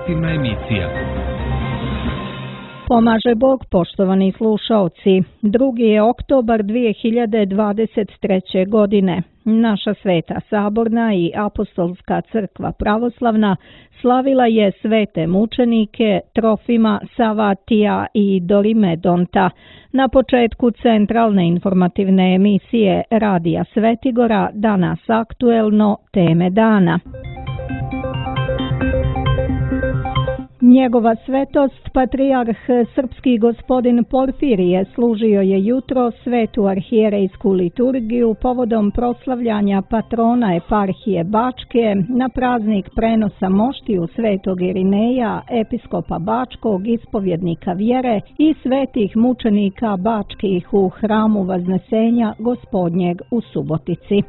Informativna emisija. Pomaže Bog, poštovani slušaoci. 2. je oktobar 2023. godine. Naša Sveta Saborna i Apostolska crkva pravoslavna slavila je svete mučenike Trofima, Savatija i Dorimedonta. Na početku centralne informativne emisije Radija Svetigora danas aktuelno teme dana. Njegova svetost, patrijarh srpski gospodin Porfirije, služio je jutro svetu arhijerejsku liturgiju povodom proslavljanja patrona eparhije Bačke na praznik prenosa moštiju svetog Irineja, episkopa Bačkog, ispovjednika vjere i svetih mučenika bačkih u hramu Vaznesenja Gospodnjeg u Subotici.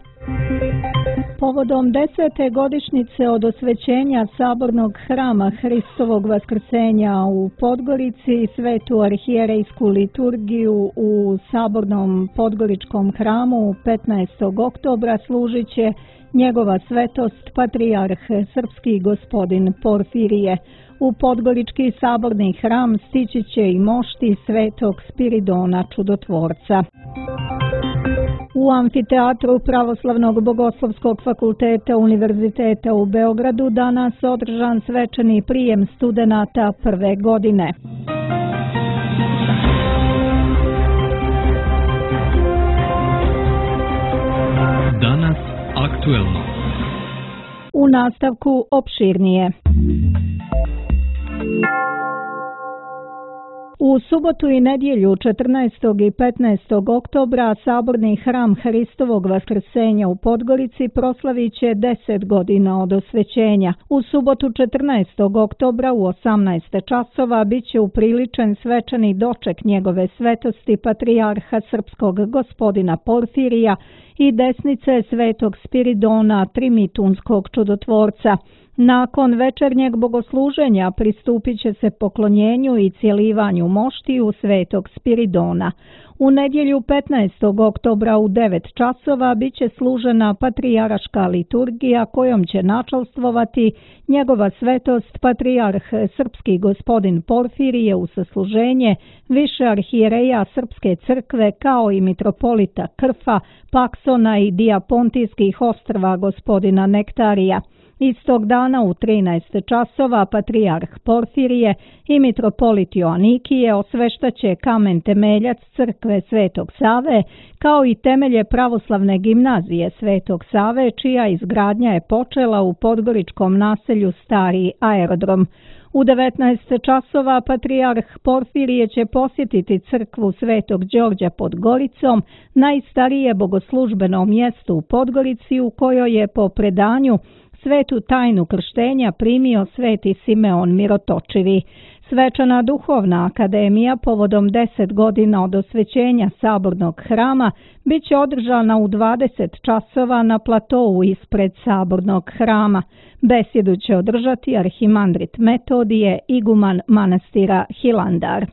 Povodom 10. godišnjice od osvećenja sabornog hrama Hristovog vaskrsenja u Podgorici, svetu arhijerejsku liturgiju u sabornom podgoričkom hramu 15. oktobra služit će njegova svetost patrijarh srpski gospodin Porfirije. U podgorički saborni hram stići će i mošti svetog Spiridona Čudotvorca. U amfiteatru Pravoslavnog bogoslovskog fakulteta Univerziteta u Beogradu danas održan svečani prijem studenata prve godine. Danas aktuelno. U nastavku opširnije. U subotu i nedjelju 14. i 15. oktobra saborni hram Hristovog vaskrsenja u Podgorici proslavit će 10 godina od osvećenja. U subotu 14. oktobra u 18 časova bit će upriličen svečani doček njegove svetosti patrijarha srpskog gospodina Porfirija i desnice svetog Spiridona Trimitunskog čudotvorca. Nakon večernjeg bogosluženja pristupit će se poklonjenju i cjelivanju moštiju svetog Spiridona. U nedjelju 15. oktobra u 9 časova bit će služena patrijaraška liturgija kojom će načalstvovati njegova svetost patrijarh srpski gospodin Porfirije u sasluženje više arhijereja Srpske crkve kao i mitropolita Krfa, Paksona i Dijapontijskih ostrva gospodina Nektarija. Istog dana u 13 časova patrijarh Porfirije i mitropolit Joanikije osveštaće kamen temeljac crkve Svetog Save kao i temelje pravoslavne gimnazije Svetog Save čija izgradnja je počela u podgoričkom naselju Stari aerodrom. U 19 časova patrijarh Porfirije će posjetiti crkvu Svetog Đorđa pod Goricom, najstarije bogoslužbeno mjesto u Podgorici u kojoj je po predanju svetu tajnu krštenja primio sveti Simeon Mirotočivi. Svečana duhovna akademija povodom 10 godina od osvećenja sabornog hrama bit će održana u 20 časova na platovu ispred sabornog hrama. Besjedu će održati arhimandrit Metodije, iguman manastira Hilandar.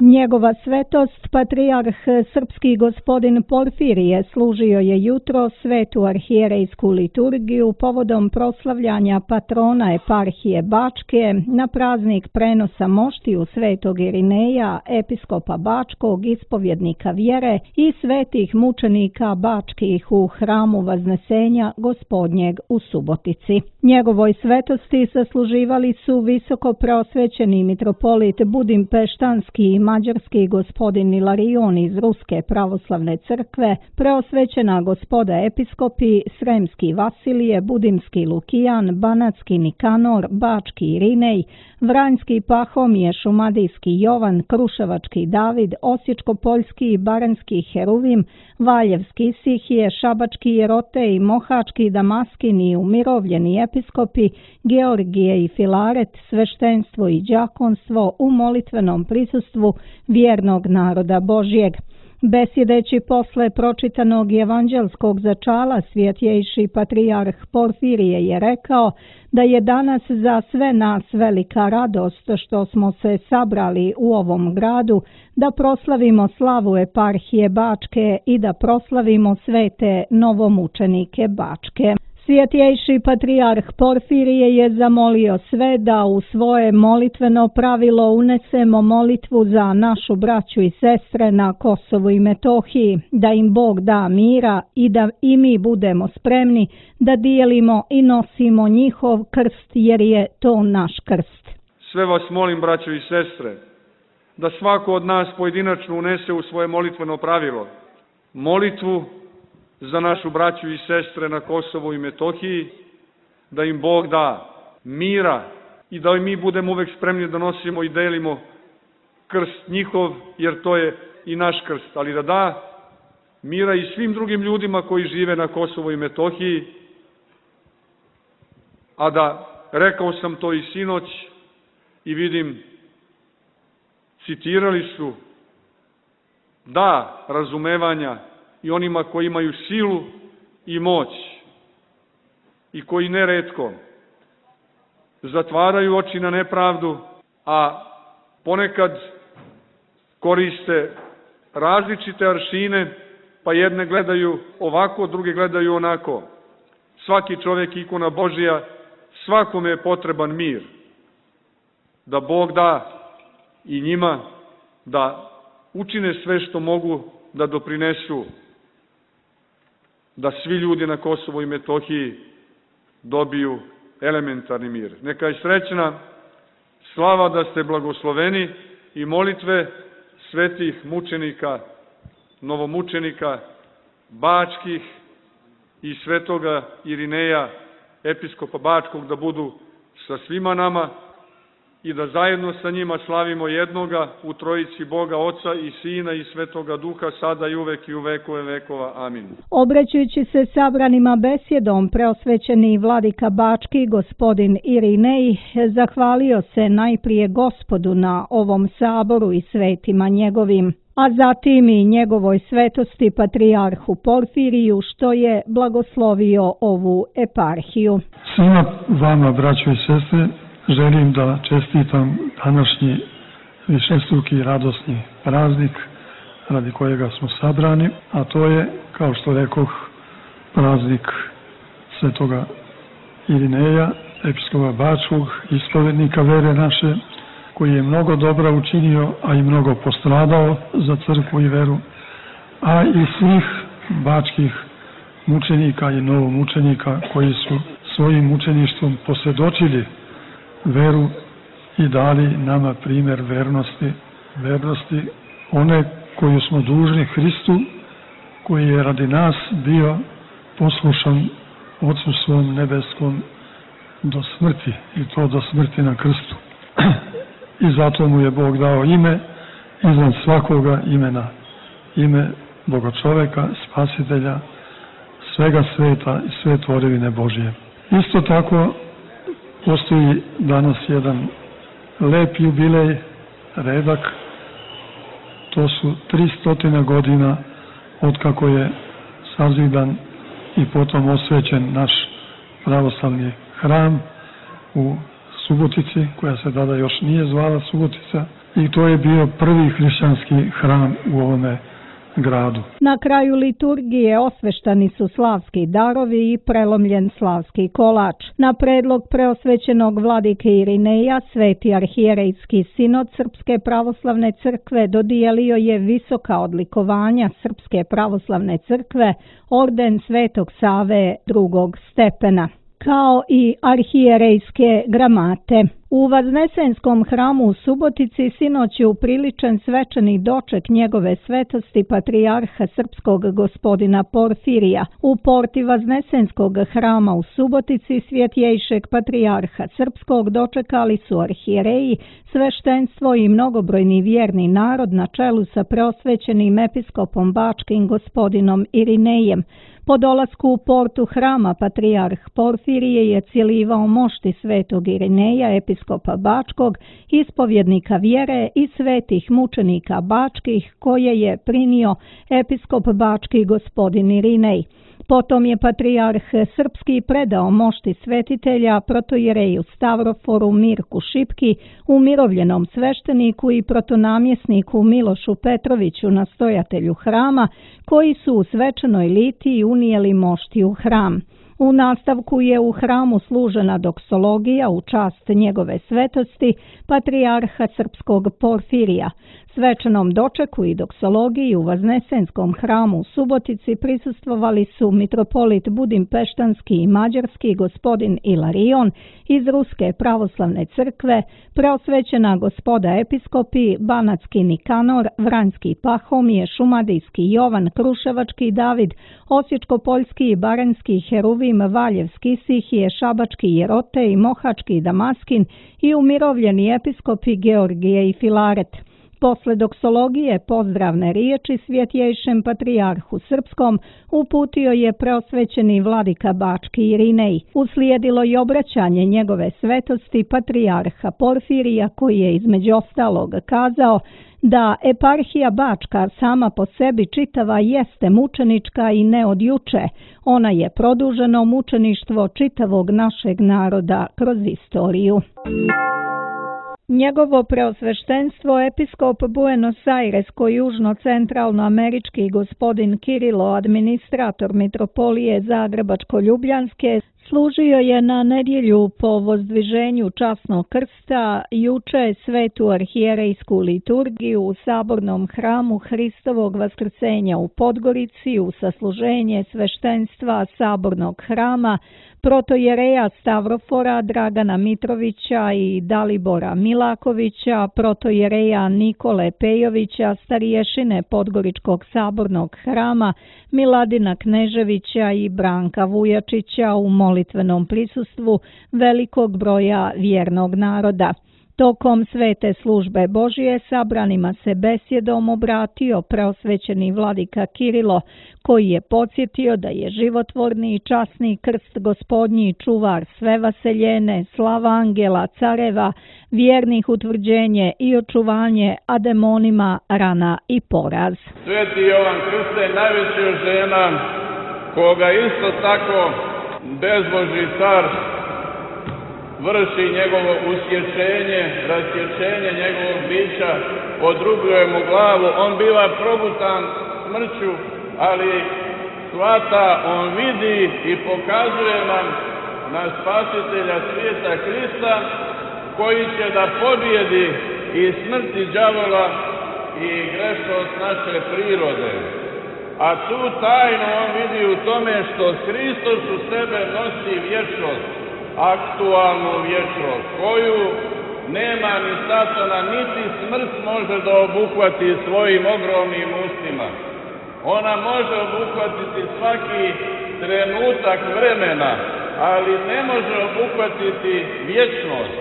Njegova svetost, patrijarh srpski gospodin Porfirije, služio je jutro svetu arhijerejsku liturgiju povodom proslavljanja patrona eparhije Bačke na praznik prenosa moštiju svetog Irineja, episkopa Bačkog, ispovjednika vjere i svetih mučenika bačkih u hramu Vaznesenja Gospodnjeg u Subotici. Njegovoj svetosti sasluživali su visoko preosvećeni mitropolit Budimpeštanski i mađarski gospodin Ilarion iz Ruske pravoslavne crkve, preosvećena gospoda episkopi Sremski Vasilije, Budimski Lukijan, Banatski Nikanor, Bački Irinej, Vranjski Pahomije, Šumadijski Jovan, Kruševački David, Osječko-Poljski i Baranjski Heruvim, Valjevski Isihije, Šabački Jerote i Mohački Damaskin i umirovljeni episkopi Georgije i Filaret, sveštenstvo i đakonstvo u molitvenom prisustvu vjernog naroda Božjeg. Besjedeći posle pročitanog evanđelskog začala, svjetjejši patrijarh Porfirije je rekao da je danas za sve nas velika radost što smo se sabrali u ovom gradu, da proslavimo slavu eparhije Bačke i da proslavimo svete novomučenike Bačke. Svjetjejši patrijarh Porfirije je zamolio sve da u svoje molitveno pravilo unesemo molitvu za našu braću i sestre na Kosovu i Metohiji, da im Bog da mira i da i mi budemo spremni da dijelimo i nosimo njihov krst, jer je to naš krst. Sve vas molim, braćo i sestre, da svako od nas pojedinačno unese u svoje molitveno pravilo molitvu za našu braću i sestre na Kosovu i Metohiji, da im Bog da mira i da mi budemo uvek spremni da nosimo i delimo krst njihov, jer to je i naš krst, ali da da mira i svim drugim ljudima koji žive na Kosovu i Metohiji, a da, rekao sam to i sinoć i vidim, citirali su, da razumevanja i onima koji imaju silu i moć i koji neretko zatvaraju oči na nepravdu, a ponekad koriste različite aršine, pa jedne gledaju ovako, druge gledaju onako. Svaki čovjek ikona Božija, svakome je potreban mir. Da Bog da i njima da učine sve što mogu da doprinesu da svi ljudi na Kosovu i Metohiji dobiju elementarni mir. Neka je srećna slava da ste blagosloveni i molitve svetih mučenika, novomučenika, bačkih i svetoga Irineja, episkopa Bačkog, da budu sa svima nama i da zajedno sa njima slavimo jednoga u trojici Boga, Oca i Sina i Svetoga Duha, sada i uvek i u vekove vekova. Amin. Obraćajući se sabranima besjedom, preosvećeni vladika Bački, gospodin Irinej, zahvalio se najprije Gospodu na ovom saboru i svetima njegovim, a zatim i njegovoj svetosti patrijarhu Porfiriju, što je blagoslovio ovu eparhiju. Svima vama, braćo i sestre, želim da čestitam današnji višestruki radosni praznik radi kojega smo sabrani, a to je, kao što rekoh, praznik svetoga Irineja, episkopa Bačkog, ispovednika vere naše, koji je mnogo dobra učinio, a i mnogo postradao za crkvu i veru, a i svih bačkih mučenika i novomučenika koji su svojim mučeništvom posvjedočili veru i dali nama primjer vernosti one koju smo dužni Hristu, koji je radi nas bio poslušan Otcu svom nebeskom do smrti, i to do smrti na krstu. I zato mu je Bog dao ime iznad svakoga imena, ime Boga čoveka, spasitelja, svega sveta i sve tvorevine Božje. Isto tako postoji danas jedan lep jubilej, redak, to su 300 godina otkako je sazidan i potom osvećen naš pravoslavni hram u Subotici, koja se tada još nije zvala Subotica, i to je bio prvi hrišćanski hram u ovome gradu. Na kraju liturgije osveštani su slavski darovi i prelomljen slavski kolač. Na predlog preosvećenog vladike Irineja, Sveti arhijerejski sinod Srpske pravoslavne crkve dodijelio je visoka odlikovanja Srpske pravoslavne crkve, orden Svetog Save drugog stepena, kao i arhijerejske gramate. U Vaznesenskom hramu u Subotici sinoć je upriličen svečani doček njegove svetosti patrijarha srpskog gospodina Porfirija. U porti Vaznesenskog hrama u Subotici svjetjejšeg patrijarha srpskog dočekali su arhijereji, sveštenstvo i mnogobrojni vjerni narod na čelu sa preosvećenim episkopom Bačkim gospodinom Irinejem. Po dolasku u portu hrama patrijarh Porfirije je cijelivao mošti svetog Irineja, episkopa Bačkog, ispovjednika vjere i svetih mučenika bačkih, koje je primio episkop Bački gospodin Irinej. Potom je patrijarh srpski predao mošti svetitelja protojereju Stavroforu Mirku Šipki, umirovljenom svešteniku i protonamjesniku Milošu Petroviću, nastojatelju hrama, koji su u svečanoj litiji unijeli mošti u hram. U nastavku je u hramu služena doksologija u čast njegove svetosti, patrijarha srpskog Porfirija. Svečanom dočeku i doksologiji u Vaznesenskom hramu u Subotici prisustvovali su mitropolit Budimpeštanski i Mađarski gospodin Ilarion iz Ruske pravoslavne crkve, preosvećena gospoda episkopi Banatski Nikanor, Vranjski Pahomije, Šumadijski Jovan, Kruševački David, Osječko-Poljski i Baranjski Heruvim, Valjevski Sihije, Šabački Jerote i Mohački Damaskin i umirovljeni episkopi Georgije i Filaret. Posle doksologije pozdravne riječi svjetjejšem patrijarhu srpskom uputio je preosvećeni vladika Bački Irinej. Uslijedilo je obraćanje njegove svetosti patrijarha Porfirija koji je između ostalog kazao da eparhija Bačka sama po sebi čitava jeste mučenička i ne od juče. Ona je produženo mučeništvo čitavog našeg naroda kroz istoriju. Njegovo preosveštenstvo episkop Buenos Aires-južno-centralnoamerički gospodin Kirilo, administrator mitropolije Zagrebačko-Ljubljanske, služio je na nedjelju po vozdviženju časnog krsta juče svetu arhijerejsku liturgiju u sabornom hramu Hristovog vaskrsenja u Podgorici u sasluženje sveštenstva sabornog hrama protojereja Stavrofora Dragana Mitrovića i Dalibora Milakovića, protojereja Nikole Pejovića, starješine Podgoričkog sabornog hrama Miladina Kneževića i Branka Vujačića u molitvenom prisustvu velikog broja vjernog naroda. Tokom svete službe Božije sabranima se besjedom obratio preosvećeni vladika Kirilo, koji je podsjetio da je životvorni i časni krst gospodnji čuvar sve vaseljene, slava angela, careva, vjernih utvrđenje i očuvanje, a demonima rana i poraz. Sveti Jovan Krste najveći od žena, koga isto tako bezbožji car vrši njegovo usječenje, rasječenje njegovog bića, odrubljuje mu glavu, on biva progutan smrću, ali shvata, on vidi i pokazuje nam na spasitelja svijeta Krista, koji će da pobjedi i smrti đavola i grešnost naše prirode. A tu tajnu on vidi u tome što Hristos u sebe nosi vječnost, aktualnu vječnost, koju nema ni satana, niti smrt može da obuhvati svojim ogromnim ustima. Ona može obuhvatiti svaki trenutak vremena, ali ne može obuhvatiti vječnost.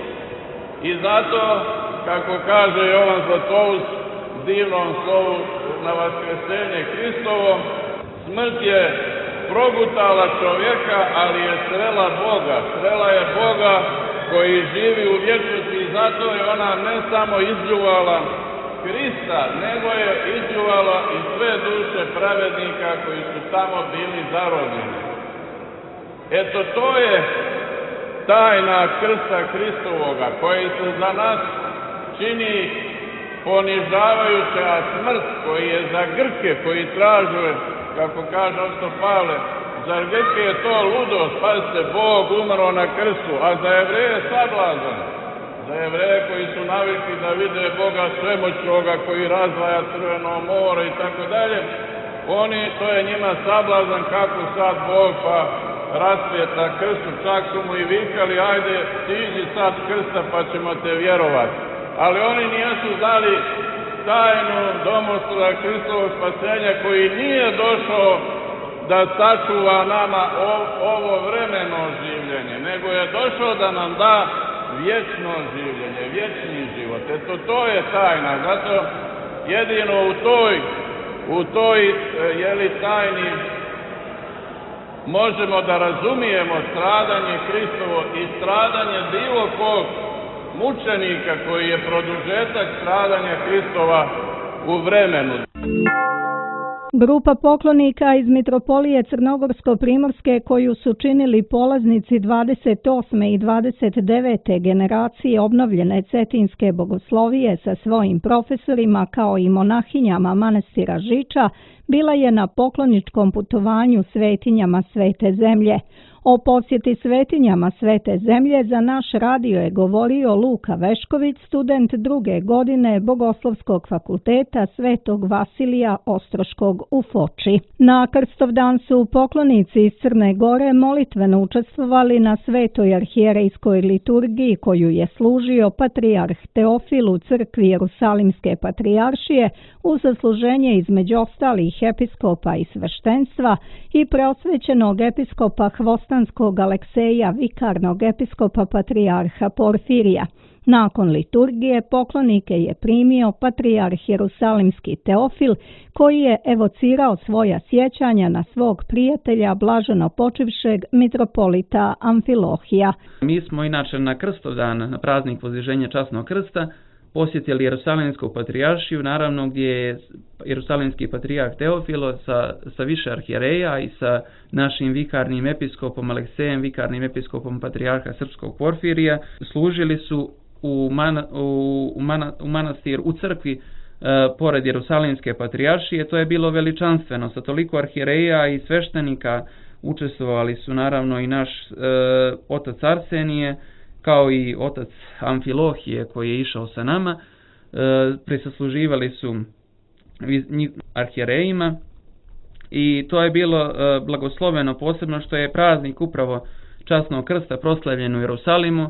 I zato, kako kaže Jovan Zlatoust u divnom slovu na Vaskrsenje Hristovo, smrt je progutala čovjeka, ali je srela Boga. Srela je Boga koji živi u vječnosti i zato je ona ne samo izljuvala Krista, nego je izljuvala i sve duše pravednika koji su tamo bili zarobljeni. Eto, to je tajna krsta Hristovoga, koji se za nas čini ponižavajuća, a smrt koji je za Grke, koji traže, kako kaže apostol Pavle, za Grke je to ludost, pazite, Bog umro na krstu, a za Jevreje sablazan. Za Jevreje koji su navikli da vide Boga svemoćnoga koji razdvaja Crveno more i tako dalje, to je njima sablazan kako sad Bog pa rasvijeta krstu, čak su mu i vikali, ajde siđi sad s krsta pa ćemo te vjerovati. Ali oni nisu znali tajnu domoslova Hristovog spasenja koji nije došao da sačuva nama ovo vremeno življenje, nego je došao da nam da vječno življenje, vječni život. Eto, to je tajna, zato jedino u toj tajni možemo da razumijemo stradanje Hristovo i stradanje bilo kog mučenika koji je produžetak stradanja Hristova u vremenu. Grupa poklonika iz mitropolije Crnogorsko-Primorske koju su činili polaznici 28. i 29. generacije obnovljene Cetinske bogoslovije sa svojim profesorima kao i monahinjama manastira Žiča bila je na pokloničkom putovanju svetinjama Svete zemlje. O posjeti svetinjama Svete zemlje za naš radio je govorio Luka Vešković, student 2. godine Bogoslovskog fakulteta Svetog Vasilija Ostroškog u Foči. Na Krstovdan su poklonici iz Crne Gore molitveno učestvovali na svetoj arhijerejskoj liturgiji koju je služio patrijarh Teofil u crkvi Jerusalimske patrijaršije uz zasluženje između ostalih episkopa i sveštenstva i preosvećenog episkopa Hvostanskog Alekseja, vikarnog episkopa patrijarha Porfirija. Nakon liturgije poklonike je primio patrijarh Jerusalimski Teofil, koji je evocirao svoja sjećanja na svog prijatelja blaženo počivšeg mitropolita Amfilohija. Mi smo inače na Krstovdan, na praznik Voziženja časnog krsta, posjetili Jerusalimsku patrijaršiju, naravno gdje je Jerusalimski patrijarh Teofilo sa više arhijereja i sa našim vikarnim episkopom Aleksejem, vikarnim episkopom patrijarha Srpskog Porfirija, služili su u manastir, u crkvi pored Jerusalimske patrijaršije. To je bilo veličanstveno, sa toliko arhijereja i sveštenika učestvovali su naravno i naš otac Arsenije, kao i otac Amfilohije koji je išao sa nama. Prisluživali su arhijerejima i to je bilo blagosloveno, posebno što je praznik upravo časnog krsta proslavljen u Jerusalimu,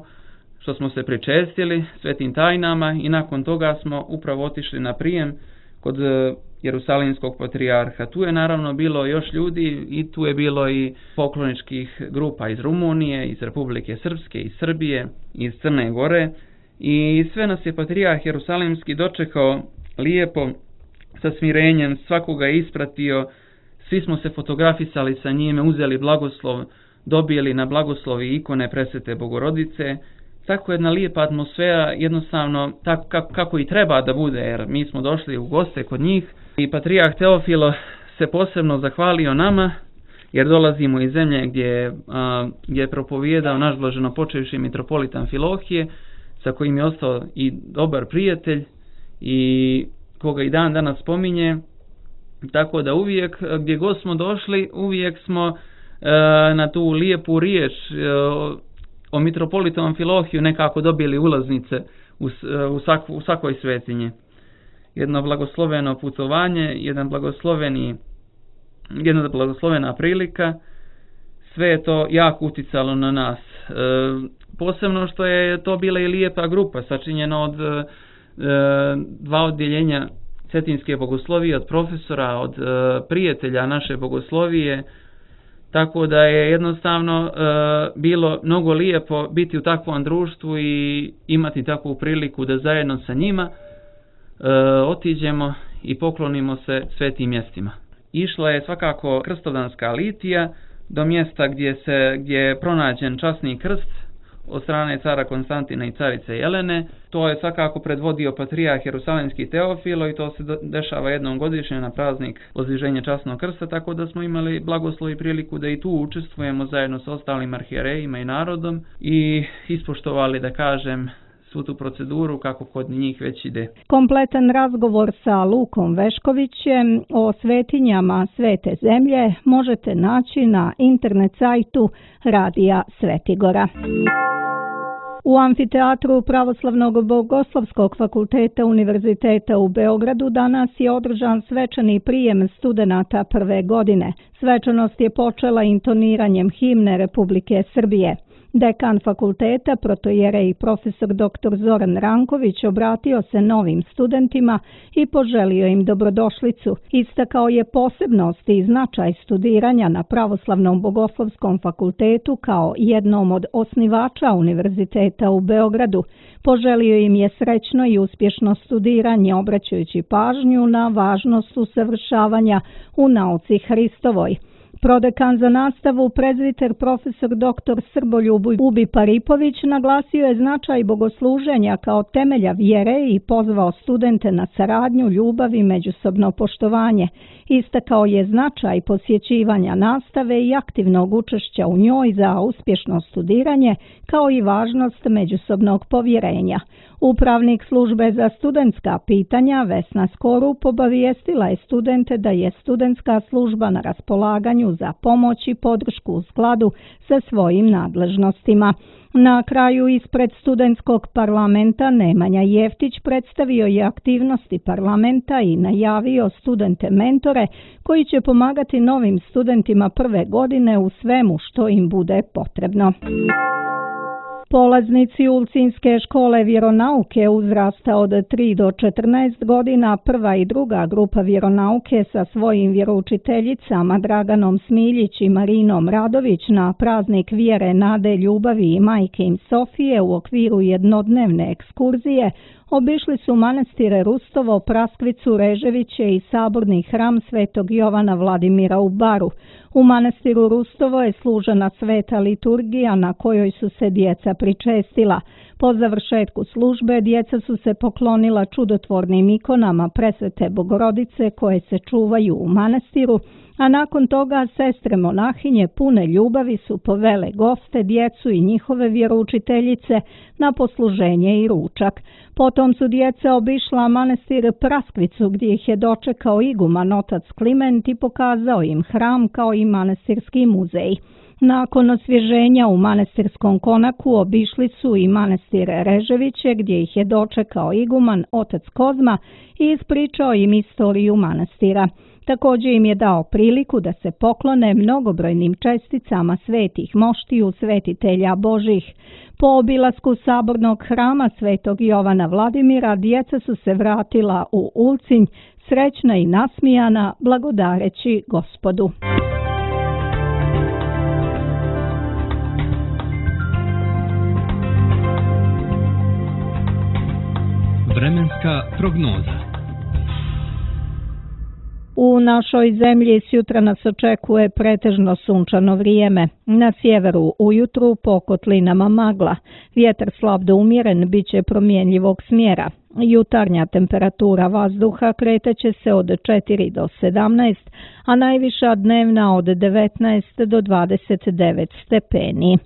što smo se pričestili svetim tajnama i nakon toga smo upravo otišli na prijem kod Jerusalimskog patrijarha. Tu je naravno bilo još ljudi i tu je bilo i pokloničkih grupa iz Rumunije, iz Republike Srpske, iz Srbije, iz Crne Gore i sve nas je patrijarh Jerusalimski dočekao lijepo, sa smirenjem, svakoga je ispratio, svi smo se fotografisali sa njime, uzeli blagoslov, dobili na blagoslovi ikone Presvete Bogorodice. Tako jedna lijepa atmosfera, jednostavno tako kako i treba da bude, jer mi smo došli u goste kod njih i patrijarh Teofilo se posebno zahvalio nama, jer dolazimo iz zemlje gdje je propovijedao naš blaženo počivši mitropolit Amfilohije, sa kojim je ostao i dobar prijatelj i koga i dan danas spominje, tako da uvijek gdje god smo došli, uvijek smo na tu lijepu riječ o mitropolitu Amfilohiju nekako dobili ulaznice u svakoj svetinji. Jedno blagosloveno putovanje, jedna blagoslovena prilika, sve je to jako uticalo na nas. Posebno što je to bila i lijepa grupa, sačinjena od dva odjeljenja cetinske bogoslovije, od profesora, od prijatelja naše bogoslovije, tako da je jednostavno bilo mnogo lijepo biti u takvom društvu i imati takvu priliku da zajedno sa njima otiđemo i poklonimo se svetim mjestima. Išla je svakako krstovdanska litija do mjesta gdje je pronađen časni krst od strane cara Konstantina i carice Jelene. To je svakako predvodio patrijarh Jerusalimski Teofilo i to se dešava jednom godišnje na praznik Voziženja časnog krsta, tako da smo imali blagoslov i priliku da i tu učestvujemo zajedno sa ostalim arhijerejima i narodom i ispoštovali, da kažem, svu tu proceduru kako kod njih već ide. Kompletan razgovor sa Lukom Veškovićem o svetinjama Svete zemlje možete naći na internet sajtu Radija Svetigora. U amfiteatru Pravoslavnog bogoslovskog fakulteta Univerziteta u Beogradu danas je održan svečani prijem studenata prve godine. Svečanost je počela intoniranjem himne Republike Srbije. Dekan fakulteta, protojerej profesor dr. Zoran Ranković, obratio se novim studentima i poželio im dobrodošlicu. Istakao je posebnost i značaj studiranja na Pravoslavnom bogoslovskom fakultetu kao jednom od osnivača Univerziteta u Beogradu. Poželio im je srećno i uspješno studiranje, obraćajući pažnju na važnost usavršavanja u nauci Hristovoj. Prodekan za nastavu, prezviter profesor dr. Srboljub Ubi Paripović naglasio je značaj bogosluženja kao temelja vjere i pozvao studente na saradnju, ljubav i međusobno poštovanje. Istakao je značaj posjećivanja nastave i aktivnog učešća u njoj za uspješno studiranje, kao i važnost međusobnog povjerenja. Upravnik službe za studentska pitanja Vesna Skorup obavijestila je studente da je studentska služba na raspolaganju za pomoć i podršku u skladu sa svojim nadležnostima. Na kraju ispred studentskog parlamenta Nemanja Jeftić predstavio je aktivnosti parlamenta i najavio studente mentore koji će pomagati novim studentima prve godine u svemu što im bude potrebno. Polaznici Ulcinske škole vjeronauke uzrasta od 3 do 14 godina, prva i druga grupa vjeronauke sa svojim vjeroučiteljicama Draganom Smiljić i Marinom Radović na praznik vjere, nade, ljubavi i majke im Sofije u okviru jednodnevne ekskurzije obišli su manastire Rustovo, Praskvicu, Reževiće i saborni hram Svetog Jovana Vladimira u Baru. U manastiru Rustovo je služena sveta liturgija na kojoj su se djeca pričestila. Po završetku službe djeca su se poklonila čudotvornim ikonama Presvete Bogorodice koje se čuvaju u manastiru, a nakon toga sestre monahinje pune ljubavi su povele goste, djecu i njihove vjeroučiteljice na posluženje i ručak. Potom su djeca obišla manastir Praskvicu gdje ih je dočekao iguman otac Kliment i pokazao im hram kao i manastirski muzej. Nakon osvježenja u manastirskom konaku obišli su i manastir Reževiće gdje ih je dočekao iguman otac Kozma i ispričao im istoriju manastira. Također im je dao priliku da se poklone mnogobrojnim česticama svetih moštiju, svetitelja Božih. Po obilasku sabornog hrama Svetog Jovana Vladimira djeca su se vratila u Ulcinj, srećna i nasmijana, blagodareći Gospodu. Vremenska prognoza. U našoj zemlji sjutra nas očekuje pretežno sunčano vrijeme. Na sjeveru ujutru po kotlinama magla. Vjetar slab do umjeren bit će promjenjivog smjera. Jutarnja temperatura vazduha kretaće se od 4 do 17, a najviša dnevna od 19 do 29 stepeni.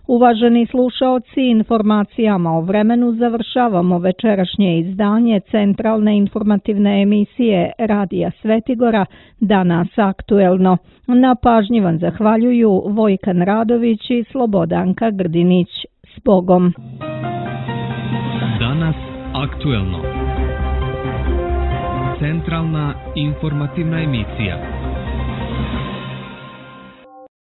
Uvaženi slušaoci, informacijama o vremenu završavamo večerašnje izdanje centralne informativne emisije Radija Svetigora Danas aktuelno. Na pažnji vam zahvaljuju Vojkan Radović i Slobodanka Grdinić. S Bogom! Danas aktuelno. Centralna informativna emisija.